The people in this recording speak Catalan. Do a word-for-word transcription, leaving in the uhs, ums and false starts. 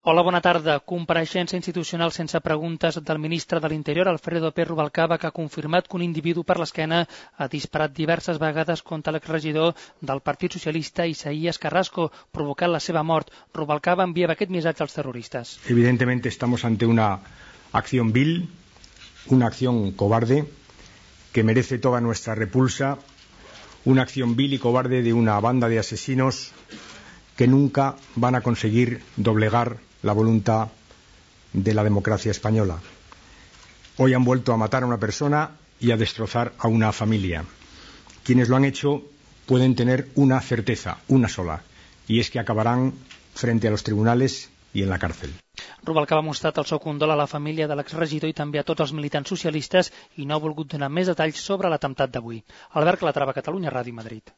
Hola, bona tarda. Compareixença institucional sense preguntes del ministre de l'Interior, Alfredo Pérez Rubalcaba, que ha confirmat que un individu per l'esquena ha disparat diverses vegades contra l'exregidor del Partit Socialista, Isaías Carrasco, provocant la seva mort. Rubalcaba enviava aquest missatge als terroristas. Evidentemente estamos ante una acción vil, una acción cobarde, que merece toda nuestra repulsa, una acción vil y cobarde de una banda de asesinos que nunca van a conseguir doblegar la voluntad de la democracia española. Hoy han vuelto a matar a una persona y a destrozar a una familia. Quienes lo han hecho pueden tener una certeza, una sola, y es que acabarán frente a los tribunales i en la càrcel. Rubalcaba ha mostrat el seu condol a la família de l'exregidor i també a tots els militants socialistes i no ha volgut donar més detalls sobre l'atemptat d'avui. Albert Calatrava, Catalunya Ràdio, Madrid.